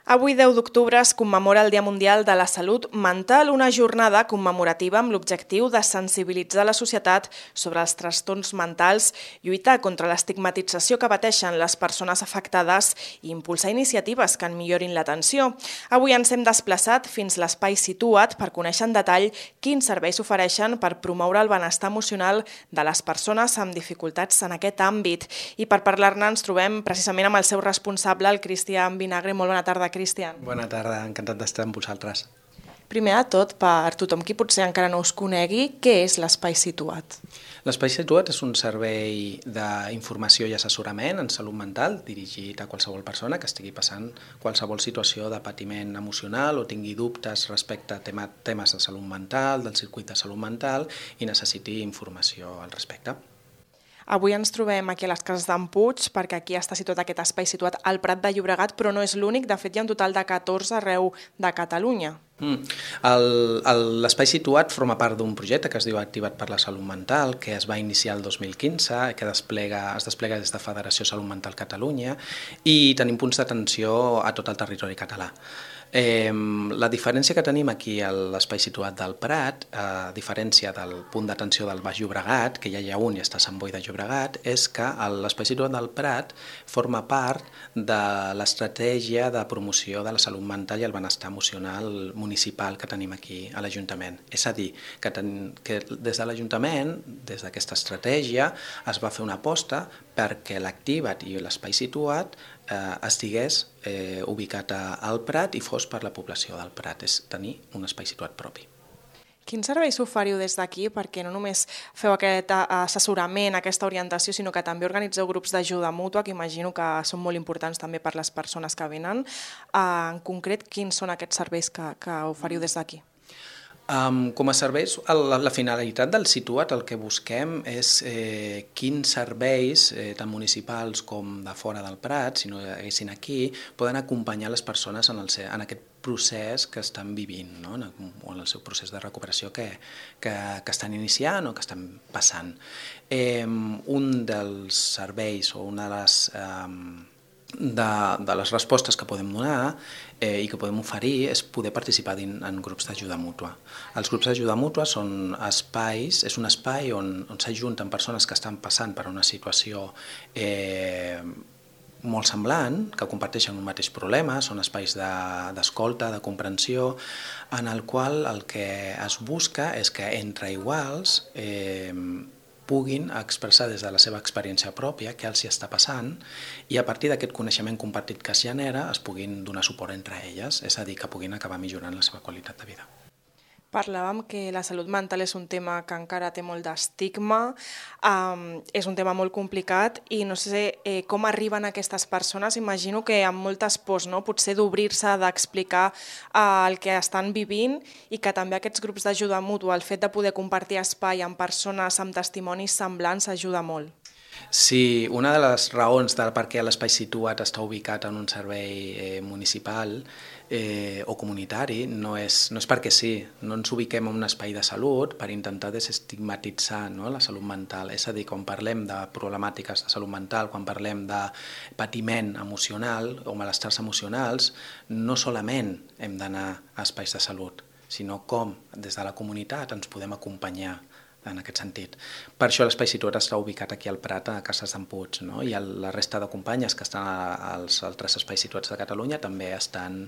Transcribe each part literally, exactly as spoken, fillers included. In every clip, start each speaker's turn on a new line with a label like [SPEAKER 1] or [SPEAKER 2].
[SPEAKER 1] Avui, deu d'octubre, es commemora el Dia Mundial de la Salut Mental, una jornada commemorativa amb l'objectiu de sensibilitzar la societat sobre els trastorns mentals, lluitar contra l'estigmatització que pateixen les persones afectades i impulsar iniciatives que en millorin l'atenció. Avui ens hem desplaçat fins l'espai Situa't per conèixer en detall quins serveis s'ofereixen per promoure el benestar emocional de les persones amb dificultats en aquest àmbit. I per parlar-ne ens trobem precisament amb el seu responsable, el Cristian Vinagre. Molt bona tarda, Cristian.
[SPEAKER 2] Bona tarda, encantat d'estar amb vosaltres.
[SPEAKER 1] Primer de tot, per tothom qui potser encara no us conegui, què és l'Espai Situa't?
[SPEAKER 2] L'Espai Situa't és un servei d'informació i assessorament en salut mental dirigit a qualsevol persona que estigui passant qualsevol situació de patiment emocional o tingui dubtes respecte a tema, temes de salut mental, del circuit de salut mental i necessiti informació al respecte.
[SPEAKER 1] Avui ens trobem aquí a les Cases d'en Puig, perquè aquí està situat aquest espai situat al Prat de Llobregat, però no és l'únic. De fet, hi ha un total de catorze arreu de Catalunya.
[SPEAKER 2] Mm. L'Espai Situa't forma part d'un projecte que es diu Activa't per la Salut Mental, que es va iniciar el dos mil quinze, que desplega, es desplega des de Federació Salut Mental Catalunya, i tenim punts d'atenció a tot el territori català. Eh, la diferència que tenim aquí a l'Espai Situa't del Prat, a diferència del punt d'atenció del Baix Llobregat, que ja hi ha un i està a Sant Boi de Llobregat, és que l'Espai Situa't del Prat forma part de l'estratègia de promoció de la salut mental i el benestar emocional municipal que tenim aquí a l'Ajuntament. És a dir, que, ten, que des de l'Ajuntament, des d'aquesta estratègia, es va fer una aposta perquè l'Activa't i l'Espai Situa't eh, estigués eh, ubicat a, al Prat i fos per la població del Prat, és tenir un espai situat propi.
[SPEAKER 1] Quins serveis oferiu des d'aquí? Perquè no només feu aquest assessorament, aquesta orientació, sinó que també organitzeu grups d'ajuda mútua, que imagino que són molt importants també per les persones que venen. En concret, quins són aquests serveis que, que oferiu des d'aquí?
[SPEAKER 2] Um, com a serveis, la, la finalitat del Situa't, el que busquem és eh, quins serveis, eh, tant municipals com de fora del Prat, si no hi haguessin aquí, poden acompanyar les persones en, el, en aquest procés que estan vivint, no? en, el, en el seu procés de recuperació que, que, que estan iniciant o que estan passant. Eh, un dels serveis o una de les... Eh, De, de les respostes que podem donar eh, i que podem oferir és poder participar en, en grups d'ajuda mútua. Els grups d'ajuda mútua són espais, és un espai on, on s'ajunten persones que estan passant per una situació eh, molt semblant, que comparteixen un mateix problema, són espais d'escolta, de, de comprensió, en el qual el que es busca és que entre iguals eh, puguin expressar des de la seva experiència pròpia què els hi està passant i a partir d'aquest coneixement compartit que es genera es puguin donar suport entre elles, és a dir, que puguin acabar millorant la seva qualitat de vida.
[SPEAKER 1] Parlàvem que la salut mental és un tema que encara té molt d'estigma, um, és un tema molt complicat i no sé eh, com arriben aquestes persones. Imagino que amb moltes pors, no? Potser d'obrir-se, d'explicar uh, el que estan vivint i que també aquests grups d'ajuda mútua, el fet de poder compartir espai amb persones amb testimonis semblants ajuda molt.
[SPEAKER 2] Sí, una de les raons del per què l'Espai Situa't està ubicat en un servei eh, municipal eh, o comunitari no és, no és perquè sí, no ens ubiquem en un espai de salut per intentar desestigmatitzar, no, la salut mental. És a dir, quan parlem de problemàtiques de salut mental, quan parlem de patiment emocional o malestars emocionals, no solament hem d'anar a espais de salut, sinó com des de la comunitat ens podem acompanyar en aquest sentit. Per això l'Espai Situa't està ubicat aquí al Prat, a Cases d'en Puig, no? I la resta de companyes que estan als altres espais situats de Catalunya també estan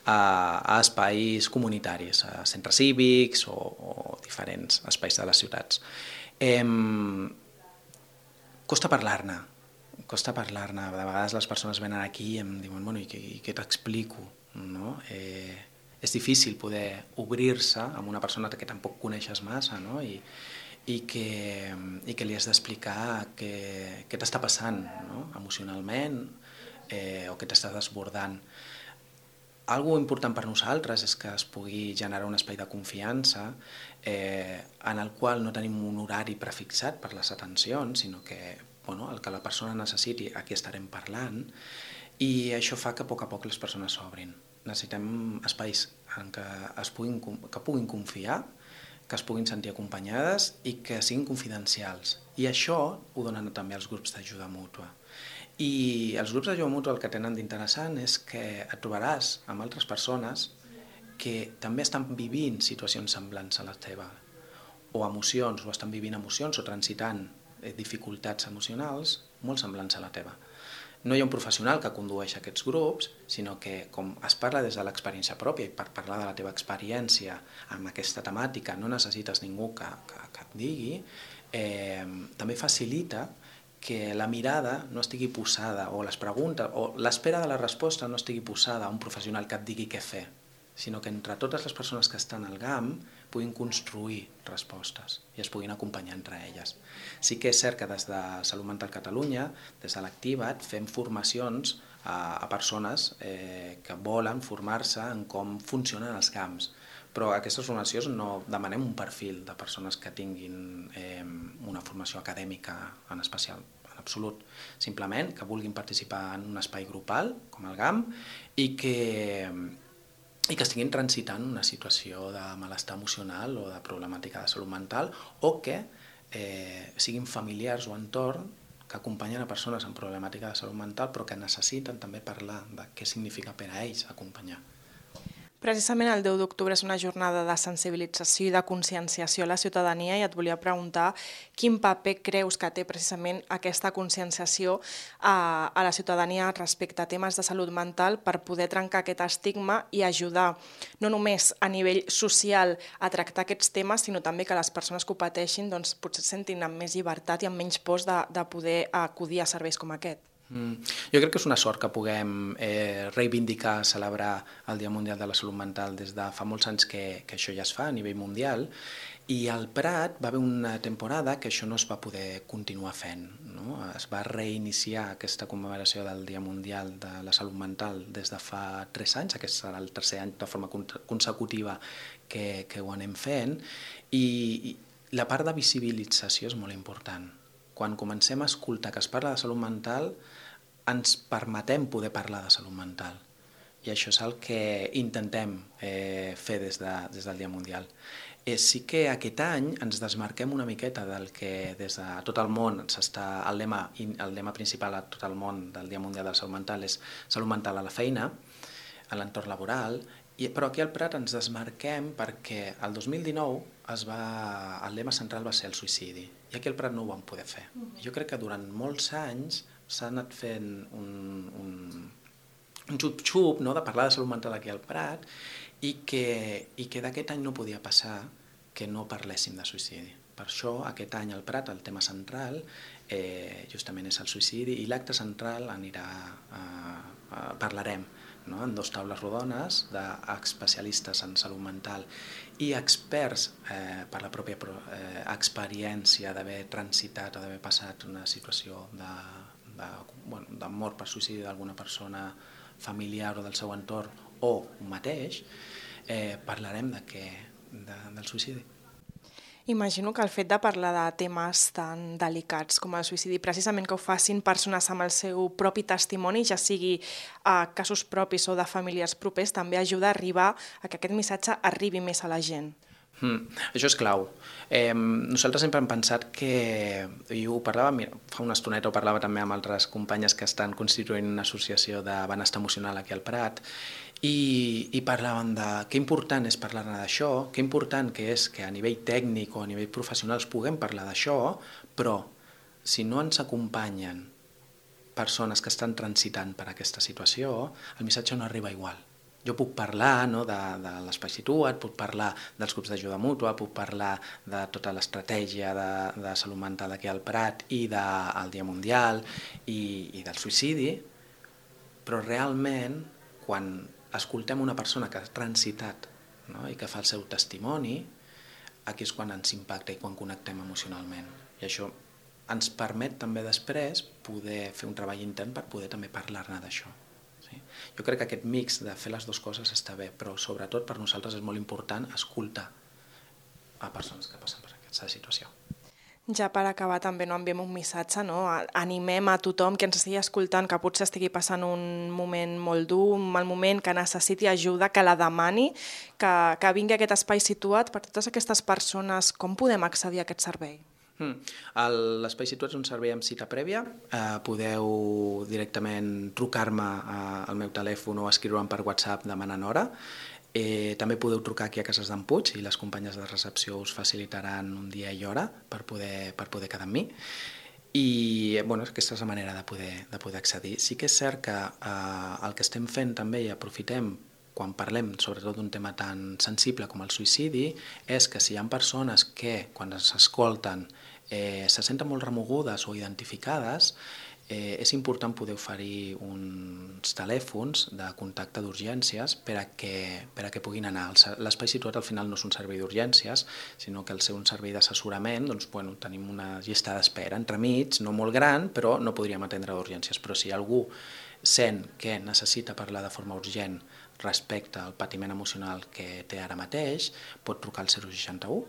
[SPEAKER 2] a, a espais comunitaris, a centres cívics o, o diferents espais de les ciutats. Eh, costa parlar-ne, costa parlar-ne. De vegades les persones venen aquí i em diuen, bueno, i què, i què t'explico? No? Eh, és difícil poder obrir-se amb una persona que tampoc coneixes massa, no? I, i que, i que li has d'explicar què, què t'està passant, no? Emocionalment eh, o què t'està desbordant. Algo important per nosaltres és que es pugui generar un espai de confiança eh, en el qual no tenim un horari prefixat per les atencions, sinó que bueno, el que la persona necessiti, aquí estarem parlant, i això fa que a poc a poc les persones s'obrin. Necessitem espais en què, es puguin, que puguin confiar, que es puguin sentir acompanyades i que siguin confidencials. I això ho donen també els grups d'ajuda mútua. I els grups d'ajuda mútua el que tenen d'interessant és que et trobaràs amb altres persones que també estan vivint situacions semblants a la teva, o emocions, o estan vivint emocions o transitant dificultats emocionals molt semblants a la teva. No hi ha un professional que condueix aquests grups, sinó que com es parla des de l'experiència pròpia i per parlar de la teva experiència amb aquesta temàtica no necessites ningú que, que, que et digui, eh, també facilita que la mirada no estigui posada o les preguntes o l'espera de la resposta no estigui posada a un professional que et digui què fer, sinó que entre totes les persones que estan al G A M puguin construir respostes i es puguin acompanyar entre elles. Sí que és cert que des de Salut Mental Catalunya, des de l'Activa't, fem formacions a, a persones eh, que volen formar-se en com funcionen els G A Ms, però a aquestes formacions no demanem un perfil de persones que tinguin eh, una formació acadèmica en especial, en absolut. Simplement que vulguin participar en un espai grupal, com el G A M, i que, i que estiguin transitant una situació de malestar emocional o de problemàtica de salut mental, o que eh, siguin familiars o entorn que acompanyen a persones amb problemàtica de salut mental però que necessiten també parlar de què significa per a ells acompanyar.
[SPEAKER 1] Precisament el deu d'octubre és una jornada de sensibilització i de conscienciació a la ciutadania i et volia preguntar quin paper creus que té precisament aquesta conscienciació a, a la ciutadania respecte a temes de salut mental per poder trencar aquest estigma i ajudar no només a nivell social a tractar aquests temes, sinó també que les persones que ho pateixin doncs, potser es sentin amb més llibertat i amb menys pors de, de poder acudir a serveis com aquest.
[SPEAKER 2] Mm. Jo crec que és una sort que puguem eh, reivindicar, celebrar el Dia Mundial de la Salut Mental des de fa molts anys que, que això ja es fa a nivell mundial, i al Prat va haver una temporada que això no es va poder continuar fent, no? Es va reiniciar aquesta commemoració del Dia Mundial de la Salut Mental des de fa tres anys, aquest serà el tercer any de forma consecutiva que, que ho anem fent, i, i la part de visibilització és molt important. Quan comencem a escoltar que es parla de salut mental, ens permetem poder parlar de salut mental. I això és el que intentem eh, fer des, de, des del Dia Mundial. Eh, sí que aquest any ens desmarquem una miqueta del que des de tot el món s'està... El lema, el lema principal a tot el món del Dia Mundial de la Salut Mental és salut mental a la feina, a l'entorn laboral, i, però aquí al Prat ens desmarquem perquè el dos mil dinou es va, el lema central va ser el suïcidi, i aquí al Prat no ho vam poder fer. Jo crec que durant molts anys s'ha anat fent un, un, un xup-xup, no?, de parlar de salut mental aquí al Prat, i que, i que d'aquest any no podia passar que no parléssim de suïcidi. Per això aquest any al Prat el tema central eh, justament és el suïcidi, i l'acte central anirà, eh, eh, parlarem, no?, en dues taules rodones d'especialistes en salut mental i experts eh, per la pròpia eh, experiència d'haver transitat o d'haver passat una situació de, de, bueno, de mort per suïcidi d'alguna persona familiar o del seu entorn o un mateix, eh, parlarem de què, de, del suïcidi.
[SPEAKER 1] Imagino que el fet de parlar de temes tan delicats com el suïcidi, precisament que ho facin persones amb el seu propi testimoni, ja sigui a casos propis o de familiars propers, també ajuda a arribar a que aquest missatge arribi més a la gent.
[SPEAKER 2] Mm, això és clau. Eh, nosaltres sempre hem pensat que, i ho parlava, mira, fa una estoneta ho parlava també amb altres companyes que estan constituint una associació de benestar emocional aquí al Prat, i, i parlaven de que important és parlar-ne d'això, que important que és que a nivell tècnic o a nivell professional puguem parlar d'això, però si no ens acompanyen persones que estan transitant per aquesta situació, el missatge no arriba igual. Jo puc parlar, no, de, de l'Espai Situa't, puc parlar dels grups d'ajuda mútua, puc parlar de tota l'estratègia de, de salut mental aquí al Prat i del Dia Mundial i, i del suïcidi, però realment quan escoltem una persona que ha transitat, no?, i que fa el seu testimoni, aquí és quan ens impacta i quan connectem emocionalment. I això ens permet també després poder fer un treball intern per poder també parlar-ne d'això. Sí? Jo crec que aquest mix de fer les dues coses està bé, però sobretot per nosaltres és molt important escoltar a persones que passen per aquesta situació.
[SPEAKER 1] Ja per acabar també no enviem un missatge, no? Animem a tothom que ens estigui escoltant, que potser estigui passant un moment molt dur, un mal moment, que necessiti ajuda, que la demani, que, que vingui a aquest espai situat per totes aquestes persones. Com podem accedir a aquest servei?
[SPEAKER 2] Mm. L'Espai Situat és un servei amb cita prèvia. Eh, podeu directament trucar-me al meu telèfon o escriure'm per WhatsApp demanant hora. Eh, també podeu trucar aquí a Cases d'en Puig i les companyes de recepció us facilitaran un dia i hora per poder, per poder quedar amb mi. I bueno, aquesta és la manera de poder, de poder accedir. Sí que és cert que eh, el que estem fent també i aprofitem quan parlem sobretot d'un tema tan sensible com el suïcidi és que si hi ha persones que quan s'escolten eh, se senten molt remogudes o identificades, Eh, és important poder oferir uns telèfons de contacte d'urgències per a que, per a que puguin anar. L'Espai Situat al final no és un servei d'urgències, sinó que al ser un servei d'assessorament doncs, bueno, tenim una llista d'espera entremig, no molt gran, però no podríem atendre d'urgències. Però si algú sent que necessita parlar de forma urgent respecte al patiment emocional que té ara mateix, pot trucar al zero seixanta-u,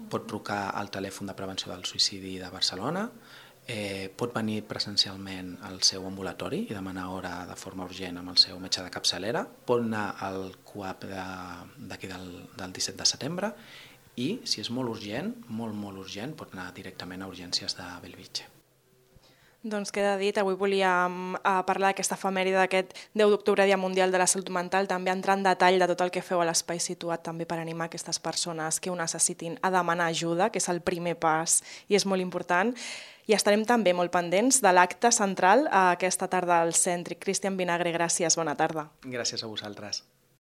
[SPEAKER 2] pot trucar al telèfon de prevenció del suïcidi de Barcelona, Eh, pot venir presencialment al seu ambulatori i demanar hora de forma urgent amb el seu metge de capçalera, pot anar al CUAP d'aquí de, del, del disset de setembre i, si és molt urgent, molt, molt urgent, pot anar directament a urgències de Bellvitge.
[SPEAKER 1] Doncs queda dit, avui volíem uh, parlar d'aquesta efemèride d'aquest deu d'octubre, Dia Mundial de la Salut Mental, també entrar en detall de tot el que feu a l'Espai Situat, també per animar aquestes persones que ho necessitin a demanar ajuda, que és el primer pas i és molt important. I estarem també molt pendents de l'acte central aquesta tarda al Cèntric. Cristian Vinagre, gràcies, bona tarda.
[SPEAKER 2] Gràcies a vosaltres.